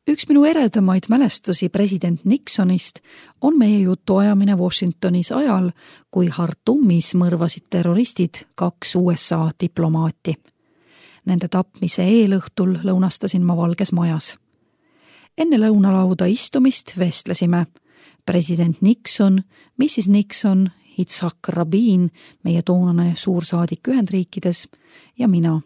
Üks minu eredamaid mälestusi president Nixonist on meie jutuajamine Washingtonis ajal, kui Khartoumis mõrvasid terroristid 2 USA diplomaati. Nende tapmise eelõhtul lõunastasin ma Valges Majas. Enne lõunalauda istumist vestlesime president Nixon, Mrs. Nixon, Yitzhak Rabin, meie toonane suursaadik Ühendriikides ja mina.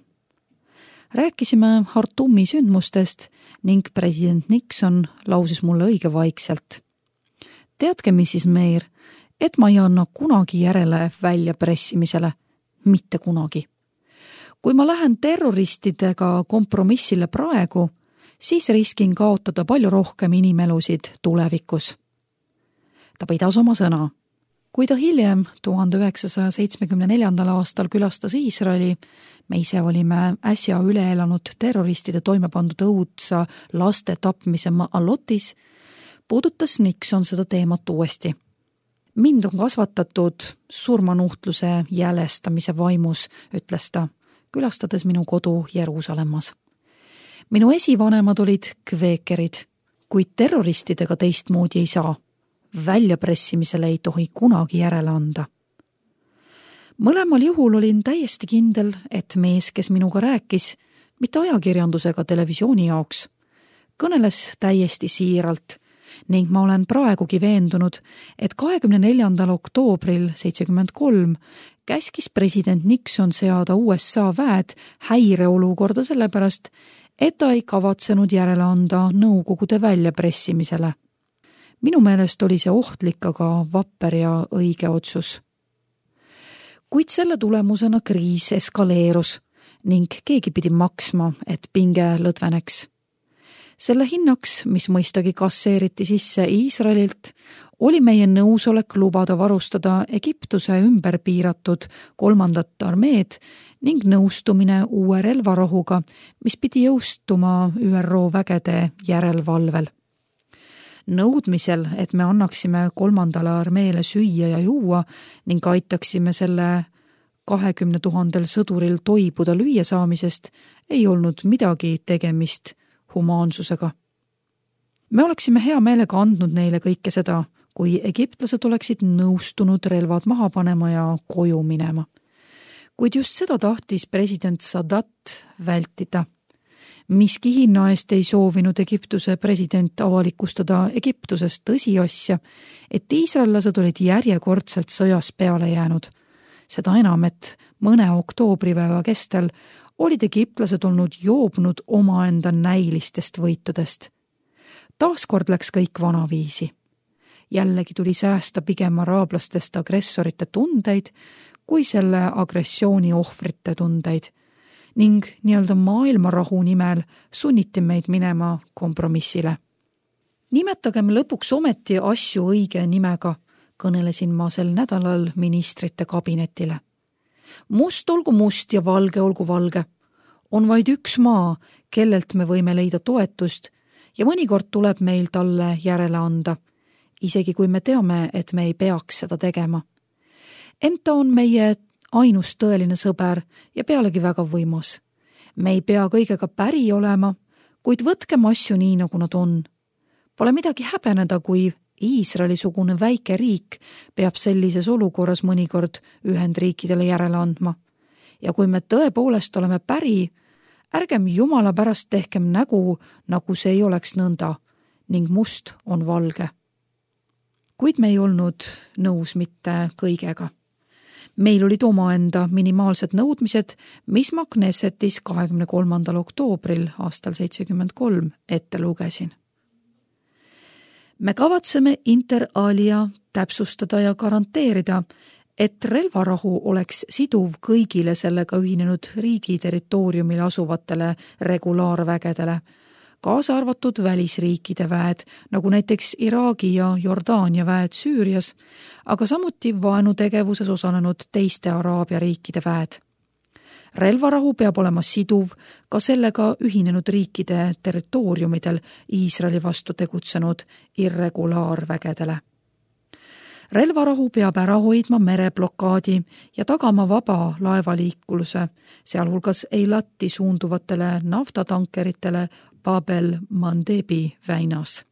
Rääkisime Khartoumi sündmustest ning president Nixon lausis mulle õige vaikselt. Teadke, Mrs. Mayer, et ma ei anna kunagi järele väljapressimisele. Mitte kunagi. Kui ma lähen terroristidega kompromissile praegu, siis riskin kaotada palju rohkem inimelusid tulevikus. Ta pidas oma sõna. Kui ta hiljem 1974. aastal külastas Iisraeli, me ise olime äsja üle elanud terroristide toime pandud õudsa laste tapmise Ma'alotis, puudutas Nixon seda teemat uuesti. Mind on kasvatatud surmanuhtluse jälestamise vaimus, ütles ta, külastades minu kodu Jeruusalemmas. Minu esivanemad olid kveekerid, kuid terroristidega teistmoodi ei saa. Väljapressimisele ei tohi kunagi järele anda. Mõlemal juhul olin täiesti kindel, et mees, kes minuga rääkis, mitte ajakirjandusega televisiooni jaoks, kõneles täiesti siiralt ning ma olen praegugi veendunud, et 24. oktoobril 1973 käskis president Nixon seada USA väed häireolukorda sellepärast, et ta ei kavatsenud järele anda Nõukogude väljapressimisele. Minu meelest oli see ohtlik, aga vapper ja õige otsus. Kuid selle tulemusena kriis eskaleerus ning keegi pidi maksma, et pinge lõdveneks. Selle hinnaks, mis mõistagi kasseeriti sisse Iisraelilt, oli meie nõusolek lubada varustada Egiptuse ümber piiratud 3. armeed ning nõustumine uue relvarahuga, mis pidi jõustuma ÜRO vägede järelvalvel. Nõudmisel, et me annaksime 3. armeele süüa ja juua ning aitaksime selle 20 000 sõduril toibuda lüüa saamisest, ei olnud midagi tegemist humaansusega. Me oleksime hea meelega andnud neile kõike seda, kui egiptlased oleksid nõustunud relvad maha panema ja koju minema. Kuid just seda tahtis president Sadat vältida. Miski hinna eest ei soovinud Egiptuse president avalikustada Egiptuses tõsiasja, et iisraellased olid järjekordselt sõjas peale jäänud. Seda enam, et mõne oktoobripäeva kestel olid egiptlased olnud joobnud omaenda näilistest võitudest. Taaskord läks kõik vanaviisi. Jällegi tuli säästa pigem araablastest agressorite tundeid kui selle agressiooni ohvrite tundeid ning nii-öelda maailmarahu nimel sunniti meid minema kompromissile. Nimetagem lõpuks ometi asju õige nimega, kõnelesin ma sel nädalal ministrite kabinetile. Must olgu must ja valge olgu valge. On vaid üks maa, kellelt me võime leida toetust ja mõnikord tuleb meil talle järele anda, isegi kui me teame, et me ei peaks seda tegema. Ent ta on meie ainus tõeline sõber ja pealegi väga võimas. Me ei pea kõigega päri olema, kuid võtkem asju nii, nagu nad on. Pole midagi häbeneda, kui Iisraeli-sugune väike riik peab sellises olukorras mõnikord Ühendriikidele järele andma. Ja kui me tõepoolest oleme päri, ärgem jumala pärast tehkem nägu, nagu see ei oleks nõnda, ning must on valge. Kuid me ei olnud nõus mitte kõigega. Meil olid omaenda minimaalsed nõudmised, mis ma Knessetis 23. oktoobril aastal 1973 ette lugesin. Me kavatseme inter alia täpsustada ja garanteerida, et relvarahu oleks siduv kõigile sellega ühinenud riigi territooriumil asuvatele regulaarvägedele, kaasa arvatud välisriikide väed, nagu näiteks Iraagi ja Jordaania väed Süürias, aga samuti vaenutegevuses osalenud teiste Araabia riikide väed. Relvarahu peab olema siduv ka sellega ühinenud riikide territooriumidel Iisraeli vastu tegutsenud irregulaarvägedele. Relvarahu peab ära hoidma mereblokaadi ja tagama vaba laevaliikluse, sealhulgas Eilati suunduvatele naftatankeritele Babel Mandebi väinas.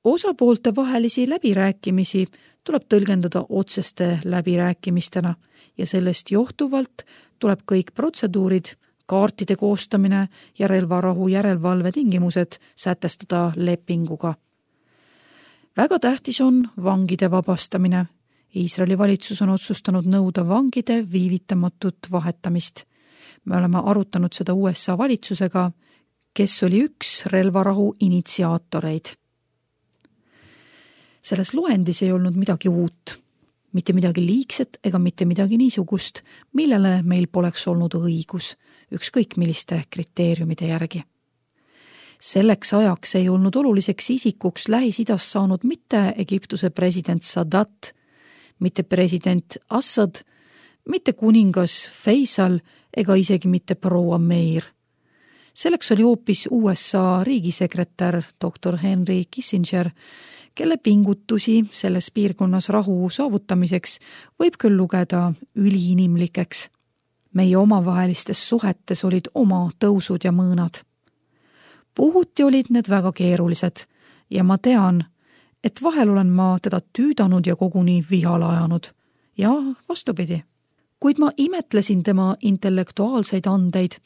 Osapoolte vahelisi läbirääkimisi tuleb tõlgendada otseste läbirääkimistena ja sellest johtuvalt tuleb kõik protseduurid, kaartide koostamine ja relvarahu järelevalve tingimused sätestada lepinguga. Väga tähtis on vangide vabastamine. Iisraeli valitsus on otsustanud nõuda vangide viivitamatut vahetamist. Me oleme arutanud seda USA valitsusega, kes oli üks relvarahu initsiaatoreid. Selles loendis ei olnud midagi uut, mitte midagi liigset ega mitte midagi niisugust, millele meil poleks olnud õigus, ükskõik milliste kriteeriumide järgi. Selleks ajaks ei olnud oluliseks isikuks Lähis-Idas saanud mitte Egiptuse president Sadat, mitte president Assad, mitte kuningas Faisal ega isegi mitte proua Meir. Selleks oli hoopis USA riigisekretär dr. Henry Kissinger, kelle pingutusi selles piirkonnas rahu saavutamiseks võib küll lugeda üliinimlikeks. Meie omavahelistes suhetes olid oma tõusud ja mõõnad. Puhuti olid need väga keerulised ja ma tean, et vahel olen ma teda tüüdanud ja koguni vihale ajanud. Ja vastupidi. Kuid ma imetlesin tema intellektuaalseid andeid,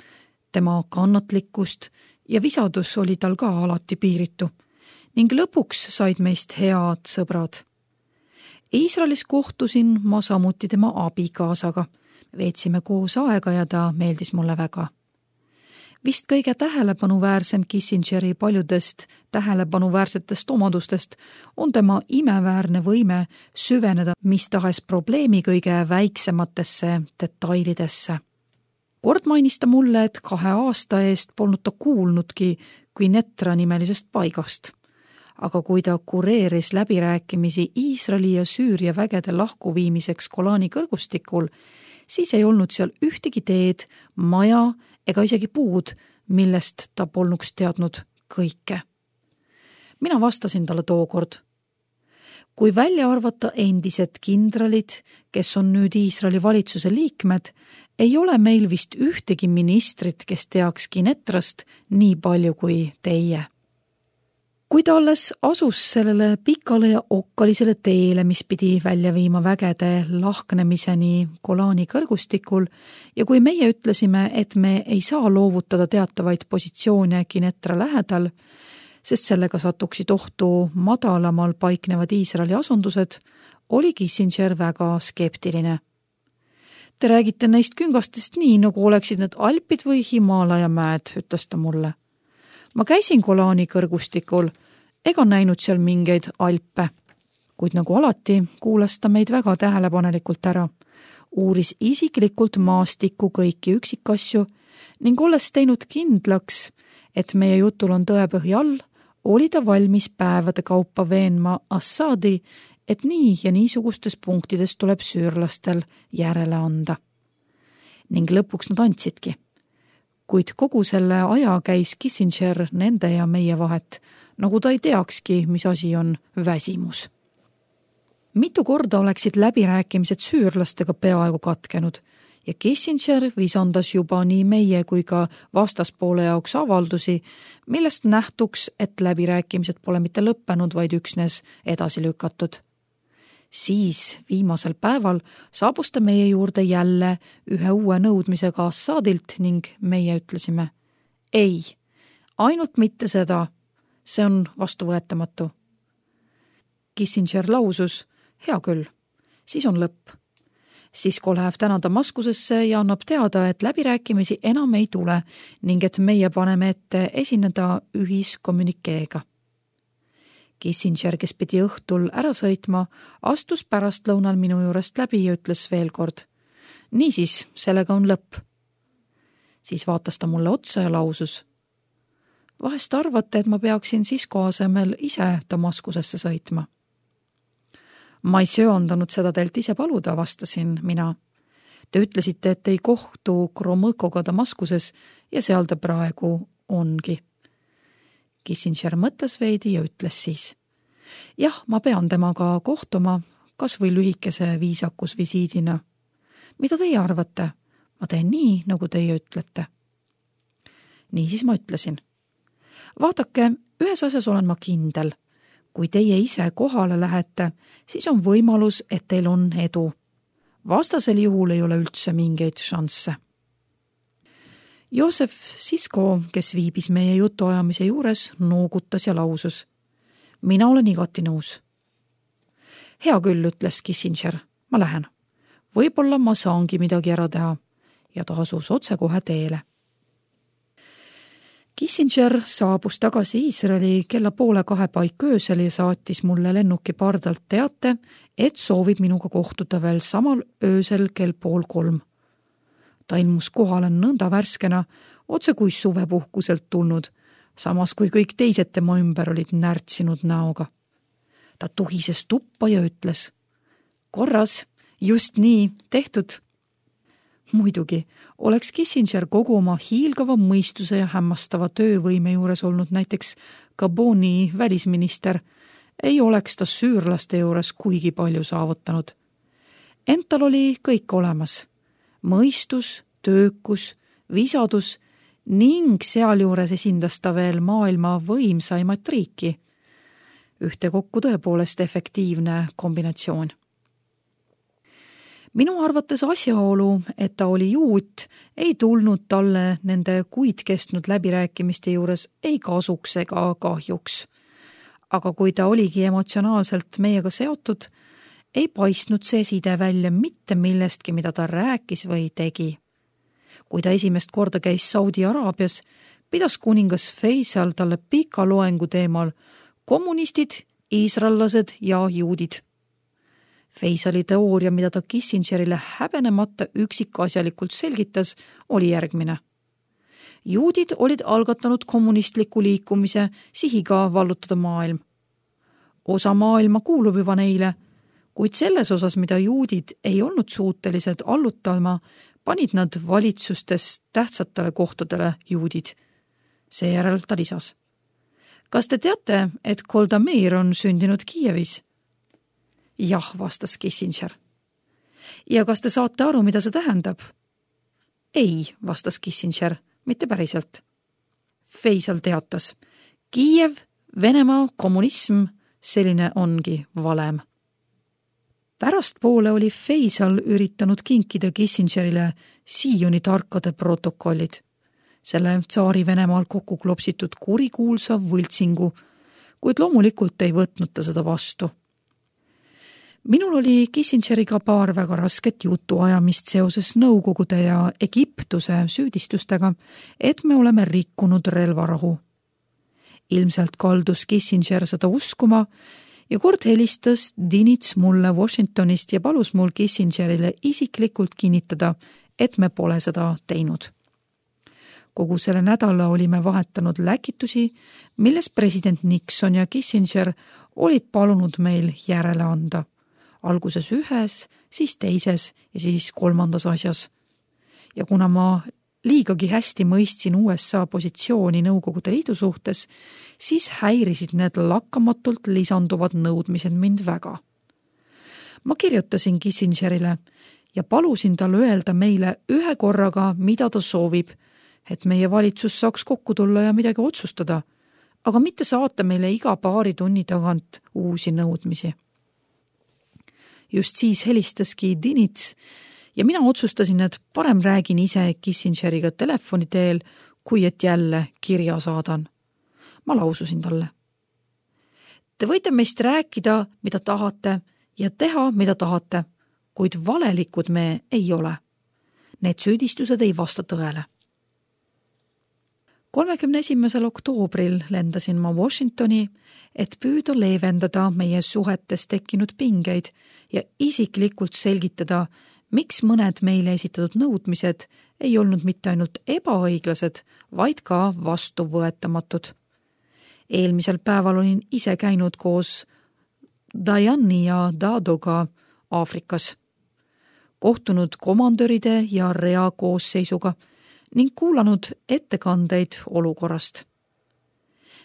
tema kannatlikkust ja visadus oli tal ka alati piiritu ning lõpuks said meist head sõbrad. Iisraelis kohtusin ma samuti tema abikaasaga. Veetsime koos aega ja ta meeldis mulle väga. Vist kõige tähelepanuväärsem Kissingeri paljudest tähelepanuväärsetest omadustest on tema imeväärne võime süveneda mis tahes probleemi kõige väiksematesse detailidesse. Kord mainis ta mulle, et 2 aasta eest polnud ta kuulnudki Quneitra nimelisest paigast. Aga kui ta kureeris läbirääkimisi Iisraeli ja Süüria vägede lahkuviimiseks Golani kõrgustikul, siis ei olnud seal ühtegi teed, maja ega isegi puud, millest ta polnuks teadnud kõike. Mina vastasin talle tookord. Kui välja arvata endised kindralid, kes on nüüd Iisraeli valitsuse liikmed, ei ole meil vist ühtegi ministrit, kes teaks Quneitrast nii palju kui teie. Kui ta alles asus sellele pikale ja okkalisele teele, mis pidi välja viima vägede lahknemiseni Golani kõrgustikul ja kui meie ütlesime, et me ei saa loovutada teatavaid positsioone Quneitra lähedal, sest sellega satuksid ohtu madalamal paiknevad Iisraeli asundused, oli Kissinger väga skeptiline. Te räägite neist küngastest nii, nagu oleksid need Alpid või Himaalaja mäed, ütles ta mulle. Ma käisin Golani kõrgustikul ega näinud seal mingeid Alpe, kuid nagu alati kuulas ta meid väga tähelepanelikult ära, uuris isiklikult maastikku kõiki üksikasju ning olles teinud kindlaks, et meie jutul on tõepõhi all, oli ta valmis päevade kaupa veenma Assadi, et nii ja niisugustes punktides tuleb süürlastel järele anda. Ning lõpuks nad andsidki. Kuid kogu selle aja käis Kissinger nende ja meie vahet, nagu ta ei teakski, mis asi on väsimus. Mitu korda oleksid läbirääkimised süürlastega peaaegu katkenud ja Kissinger visandas juba nii meie kui ka vastaspoole jaoks avaldusi, millest nähtuks, et läbirääkimised pole mitte lõppenud, vaid üksnes edasi lükatud. Siis viimasel päeval saabus ta meie juurde jälle ühe uue nõudmisega Assadilt ning meie ütlesime, ei, ainult mitte seda, see on vastuvõetamatu. Kissinger lausus, hea küll, siis on lõpp. Sisko läheb täna Damaskusesse ja annab teada, et läbirääkimisi enam ei tule ning et meie paneme ette esineda ühiskommunikeega. Kissinger, kes pidi õhtul ära sõitma, astus pärastlõunal minu juurest läbi ja ütles veel kord. Niisiis, sellega on lõpp. Siis vaatas ta mulle otsa ja lausus. Vahest arvate, et ma peaksin Sisko asemel ise Damaskusesse sõitma. Ma ei söandanud seda teilt ise paluda, vastasin mina. Te ütlesite, et ei kohtu Kromõkoga Damaskuses ja seal ta praegu ongi. Kissinger mõtles veidi ja ütles siis. Jah, ma pean temaga kohtuma, kas või lühikese viisakusvisiidina. Mida teie arvate? Ma teen nii, nagu teie ütlete. Niisiis ma ütlesin. Vaadake, ühes asjas olen ma kindel. Kui teie ise kohale lähete, siis on võimalus, et teil on edu. Vastasel juhul ei ole üldse mingeid šansse. Joosef Sisko, kes viibis meie jutuajamise juures, noogutas ja lausus. Mina olen igati nõus. Hea küll, ütles Kissinger, ma lähen. Võib-olla ma saangi midagi ära teha ja ta asus otsekohe teele. Kissinger saabus tagasi Iisraeli kella 1:30 paik öösel ja saatis mulle lennuki pardalt teate, et soovib minuga kohtuda veel samal öösel kell 2:30. Ta ilmus kohale nõnda värskena, otse kui suvepuhkuselt tulnud, samas kui kõik teised tema ümber olid närtsinud näoga. Ta tuhises tuppa ja ütles, korras, just nii, tehtud. Muidugi, oleks Kissinger kogu oma hiilgava mõistuse ja hämmastava töövõime juures olnud näiteks Gaboni välisminister, ei oleks ta süürlaste juures kuigi palju saavutanud. Ent tal oli kõik olemas. Mõistus, töökus, visadus ning sealjuures esindas ta veel maailma võimsaimat riiki. Ühtekokku tõepoolest efektiivne kombinatsioon. Minu arvates asjaolu, et ta oli juut, ei tulnud talle nende kuid kestnud läbirääkimiste juures ei kasuks ega kahjuks. Aga kui ta oligi emotsionaalselt meiega seotud, ei paistnud see side välja mitte millestki, mida ta rääkis või tegi. Kui ta esimest korda käis Saudi Araabias, pidas kuningas Faisal talle pika loengu teemal kommunistid, iisraellased ja juudid. Faisali teooria, mida ta Kissingerile häbenemata üksikasjalikult selgitas, oli järgmine. Juudid olid algatanud kommunistliku liikumise sihiga vallutada maailm. Osa maailma kuulub juba neile, kuid selles osas, mida juudid ei olnud suutelised allutama, panid nad valitsustes tähtsatele kohtadele juudid. Seejärel ta lisas. Kas te teate, et Golda Meir on sündinud Kiievis? Jah, vastas Kissinger. Ja kas te saate aru, mida see tähendab? Ei, vastas Kissinger, mitte päriselt. Faisal teatas. Kiiev, Venemaa, kommunism, selline ongi valem. Pärastpoole oli Faisal üritanud kinkida Kissingerile Sioni tarkade protokollid. Selle tsaari Venemaal kokku klopsitud kurikuulsa võltsingu, kuid loomulikult ei võtnud ta seda vastu. Minul oli Kissingeriga paar väga rasket jutuajamist seoses Nõukogude ja Egiptuse süüdistustega, et me oleme rikkunud relvarahu. Ilmselt kaldus Kissinger seda uskuma ja kord helistas Dinits mulle Washingtonist ja palus mul Kissingerile isiklikult kinnitada, et me pole seda teinud. Kogu selle nädala olime vahetanud läkitusi, milles president Nixon ja Kissinger olid palunud meil järele anda. Alguses ühes, siis teises ja siis kolmandas asjas. Ja kuna ma liigagi hästi mõistsin USA positsiooni Nõukogude Liidu suhtes, siis häirisid need lakkamatult lisanduvad nõudmised mind väga. Ma kirjutasin Kissingerile ja palusin tal öelda meile ühe korraga, mida ta soovib, et meie valitsus saaks kokku tulla ja midagi otsustada, aga mitte saata meile iga paari tunni tagant uusi nõudmisi. Just siis helistaski Dinits ja mina otsustasin, et parem räägin ise Kissingeriga telefoni teel, kui et jälle kirja saadan. Ma laususin talle. Te võite meist rääkida, mida tahate ja teha, mida tahate, kuid valelikud me ei ole. Need süüdistused ei vasta tõele. 31. oktoobril lendasin ma Washingtoni, et püüda leevendada meie suhetes tekkinud pingeid ja isiklikult selgitada, miks mõned meile esitatud nõudmised ei olnud mitte ainult ebaõiglased, vaid ka vastuvõetamatud. Eelmisel päeval olin ise käinud koos Dajani ja Dadoga Aafrikas, kohtunud komandöride ja rea koosseisuga ning kuulanud ettekandeid olukorrast.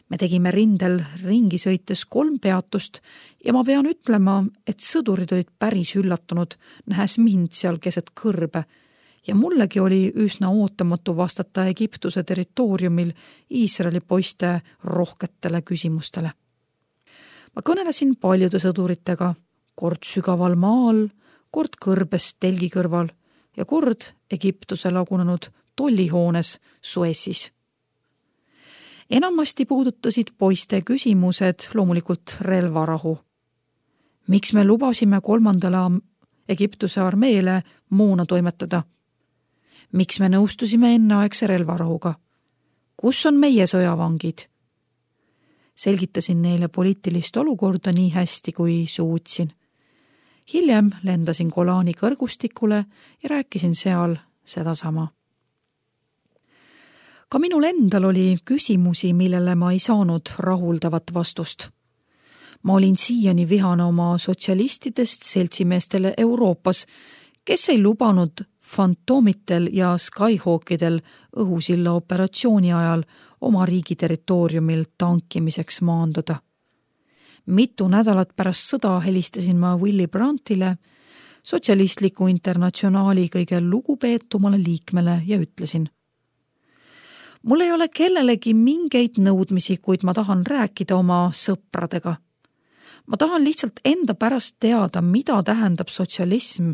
Me tegime rindel ringi sõites 3 peatust ja ma pean ütlema, et sõdurid olid päris üllatunud, nähes mind seal keset kõrbe ja mullegi oli üsna ootamatu vastata Egiptuse territooriumil Iisraeli poiste rohketele küsimustele. Ma kõnelesin paljude sõduritega, kord sügaval maal, kord kõrbes telgi kõrval ja kord Egiptuse lagunenud tollihoones Suessis. Enamasti puudutasid poiste küsimused loomulikult relvarahu. Miks me lubasime 3. Egiptuse armeele moona toimetada? Miks me nõustusime enneaegse relvarahuga? Kus on meie sõjavangid? Selgitasin neile poliitilist olukorda nii hästi, kui suutsin. Hiljem lendasin Golani kõrgustikule ja rääkisin seal sedasama. Ka minul endal oli küsimusi, millele ma ei saanud rahuldavat vastust. Ma olin siiani vihane oma sotsialistidest seltsimeestele Euroopas, kes ei lubanud Fantomitel ja Skyhawkidel õhusilla operatsiooni ajal oma riigi territooriumil tankimiseks maanduda. Mitu nädalat pärast sõda helistasin ma Willy Brandtile, sotsialistliku internatsionaali kõige lugupeetumale liikmele ja ütlesin: mul ei ole kellelegi mingeid nõudmisi, kuid ma tahan rääkida oma sõpradega. Ma tahan lihtsalt enda pärast teada, mida tähendab sotsialism,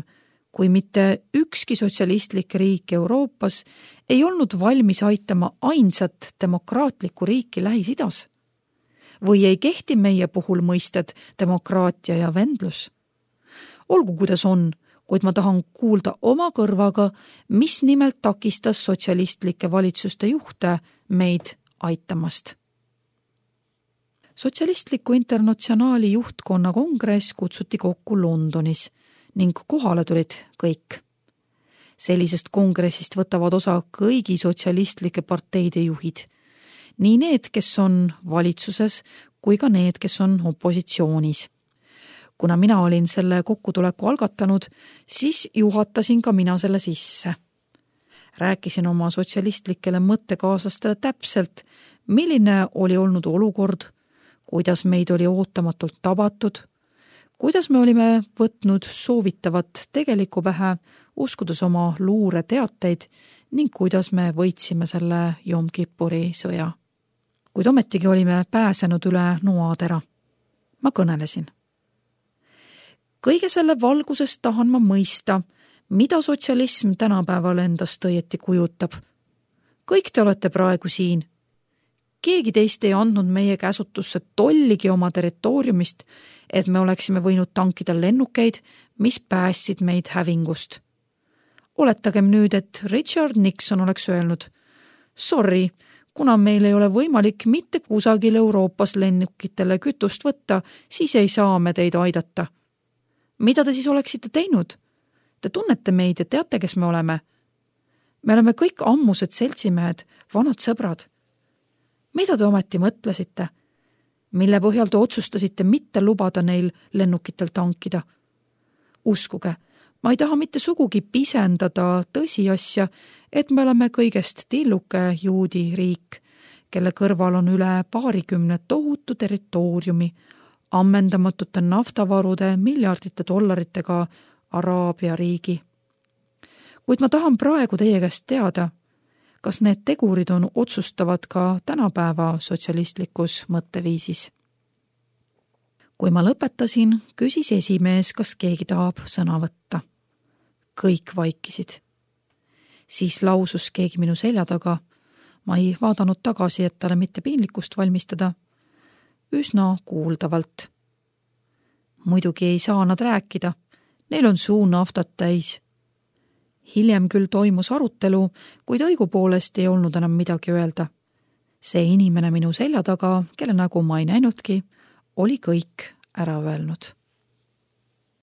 kui mitte ükski sotsialistlik riik Euroopas ei olnud valmis aitama ainsat demokraatlikku riiki Lähis-Idas. Või ei kehti meie puhul mõisted demokraatia ja vendlus. Olgu kuidas on, kuid ma tahan kuulda oma kõrvaga, mis nimelt takistas sotsialistlike valitsuste juhte meid aitamast. Sotsialistliku internatsionaali juhtkonna kongress kutsuti kokku Londonis ning kohale tulid kõik. Sellisest kongressist võtavad osa kõigi sotsialistlike parteide juhid, nii need, kes on valitsuses, kui ka need, kes on opositsioonis. Kuna mina olin selle kokkutuleku algatanud, siis juhatasin ka mina selle sisse. Rääkisin oma sotsialistlikele mõttekaaslastele täpselt, milline oli olnud olukord, kuidas meid oli ootamatult tabatud, kuidas me olime võtnud soovitavat tegelikku pähe, uskudes oma luureteateid ning kuidas me võitsime selle Jom Kippuri sõja. Kuid ometigi olime pääsenud üle noatera. Ma kõnelesin. Kõige selle valguses tahan ma mõista, mida sotsialism tänapäeval endast õieti kujutab. Kõik te olete praegu siin. Keegi teist ei andnud meie käsutusse tolligi oma territooriumist, et me oleksime võinud tankida lennukeid, mis päästsid meid hävingust. Oletagem nüüd, et Richard Nixon oleks öelnud: sorry, kuna meil ei ole võimalik mitte kusagil Euroopas lennukitele kütust võtta, siis ei saa me teid aidata. Mida te siis oleksite teinud? Te tunnete meid ja teate, kes me oleme. Me oleme kõik ammused seltsimehed, vanad sõbrad. Mida te ometi mõtlesite? Mille põhjal te otsustasite mitte lubada neil lennukitel tankida? Uskuge, ma ei taha mitte sugugi pisendada tõsiasja, et me oleme kõigest tilluke juudi riik, kelle kõrval on üle 20 tohutu territooriumi, ammendamatute naftavarude miljardite dollaritega Araabia riigi. Kuid ma tahan praegu teie käest teada, kas need tegurid on otsustavad ka tänapäeva sotsialistlikus mõtteviisis. Kui ma lõpetasin, küsis esimees, kas keegi tahab sõna võtta. Kõik vaikisid. Siis lausus keegi minu selja taga. Ma ei vaadanud tagasi, et talle mitte piinlikkust valmistada. Üsna kuuldavalt. Muidugi ei saa nad rääkida. Neil on suu naftat täis. Hiljem küll toimus arutelu, kuid õigupoolest ei olnud enam midagi öelda. See inimene minu selja taga, kelle nägu ma ei näinudki, oli kõik ära öelnud.